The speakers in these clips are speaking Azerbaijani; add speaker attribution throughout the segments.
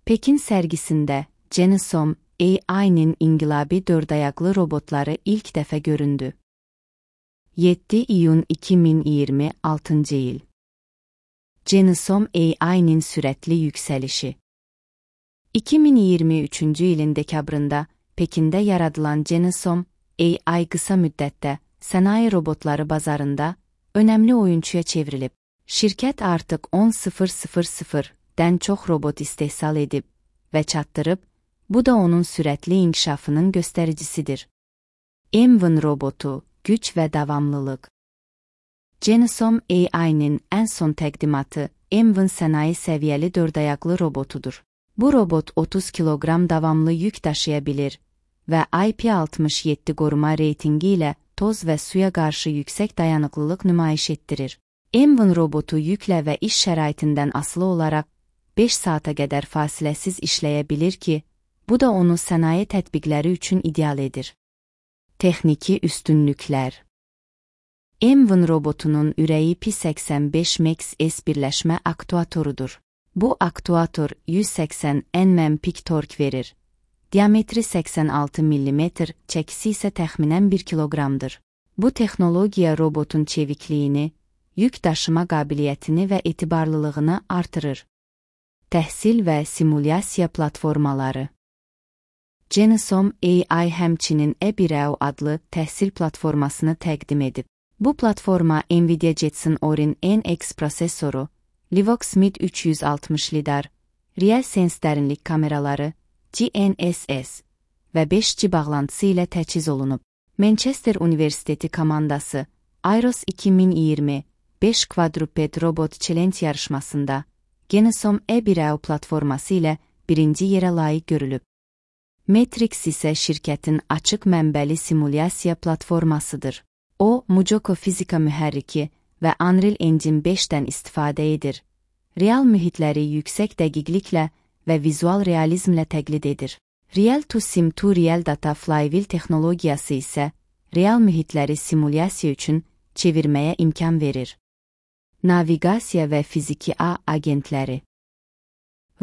Speaker 1: Pekin sərgisində Genesom AI'nin inqilabi dördayaqlı robotları ilk dəfə göründü. 7 iyun 2026 il. Genesom AI'nin sürətli yüksəlişi. 2023 ilin dekabrında Pekində yaradılan Genesom AI qısa müddətdə sənaye robotları bazarında önəmli oyunçuya çevrilib. Şirkət artıq 10.000-dən çox robot istehsal edib və çatdırıb, bu da onun sürətli inkişafının göstəricisidir. M1 robotu, güc və davamlılıq. Genesom AI'nin ən son təqdimatı M1 sənaye səviyyəli dördayaqlı robotudur. Bu robot 30 kiloqram davamlı yük daşıya bilir və IP67 qoruma reytingi ilə toz və suya qarşı yüksək dayanıqlılıq nümayiş etdirir. M1 robotu yüklə və iş şəraitindən asılı olaraq 5 saata qədər fasiləsiz işləyə bilir ki, bu da onu sənaye tətbiqləri üçün ideal edir. Texniki üstünlüklər. M1 robotunun ürəyi P85 Max-S birləşmə aktuatorudur. Bu aktuator 180 Nm pik tork verir. Diametri 86 mm, çəkisi isə təxminən 1 kiloqramdır. Bu texnologiya robotun çevikliyini, yük daşıma qabiliyyətini və etibarlılığını artırır. Təhsil və simulyasiya platformaları. Genesom AI həmçinin eBireo adlı təhsil platformasını təqdim edib. Bu platforma NVIDIA Jetson Orin NX prosesoru, Livox Mid 360 lidar, RealSense dərinlik kameraları, GNSS və 5G bağlantısı ilə təchiz olunub. Manchester Universiteti komandası Airos 2020 5 Quadruped Robot Challenge yarışmasında Genesom eBireo platforması ilə birinci yerə layiq görülüb. Matrix isə şirkətin açıq mənbəli simulyasiya platformasıdır. O, Mujoko fizika mühərriki və Unreal Engine 5-dən istifadə edir. Real mühitləri yüksək dəqiqliklə və vizual realizmlə təqlid edir. Real-to-Sim to Real Data Flywheel texnologiyası isə real mühitləri simulyasiya üçün çevirməyə imkan verir. Naviqasiya və fiziki ağ agentləri.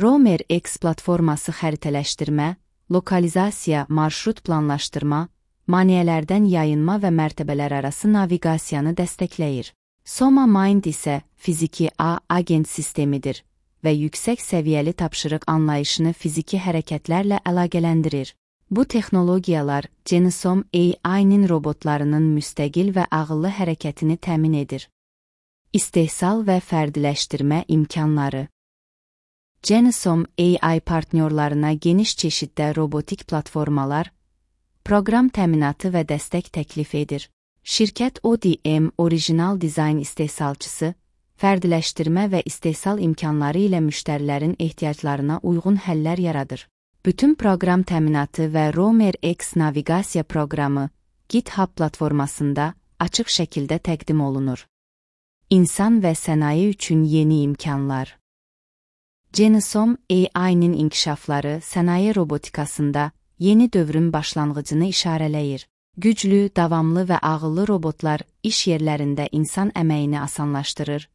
Speaker 1: Romer X platforması xəritələşdirmə, lokalizasiya, marşrut planlaşdırma, maneələrdən yayınma və mərtəbələr arası naviqasiyanı dəstəkləyir. Soma Mind isə fiziki ağ agent sistemidir və yüksək səviyyəli tapşırıq anlayışını fiziki hərəkətlərlə əlaqələndirir. Bu texnologiyalar Genesom AI'nin robotlarının müstəqil və ağıllı hərəkətini təmin edir. İstehsal və fərdiləşdirmə imkanları. Genesom AI partnyorlarına geniş çeşiddə robotik platformalar, proqram təminatı və dəstək təklif edir. Şirkət ODM orijinal dizayn istehsalçısı, fərdiləşdirmə və istehsal imkanları ilə müştərilərin ehtiyaclarına uyğun həllər yaradır. Bütün proqram təminatı və Romer X naviqasiya proqramı GitHub platformasında açıq şəkildə təqdim olunur. İnsan və sənaye üçün yeni imkanlar. Genesom AI'nin inkişafları sənaye robotikasında yeni dövrün başlanğıcını işarələyir. Güclü, davamlı və ağıllı robotlar iş yerlərində insan əməyini asanlaşdırır,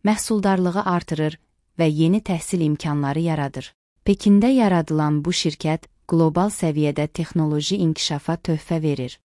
Speaker 1: məhsuldarlığı artırır və yeni təhsil imkanları yaradır. Pekində yaradılan bu şirkət qlobal səviyyədə texnoloji inkişafa töhfə verir.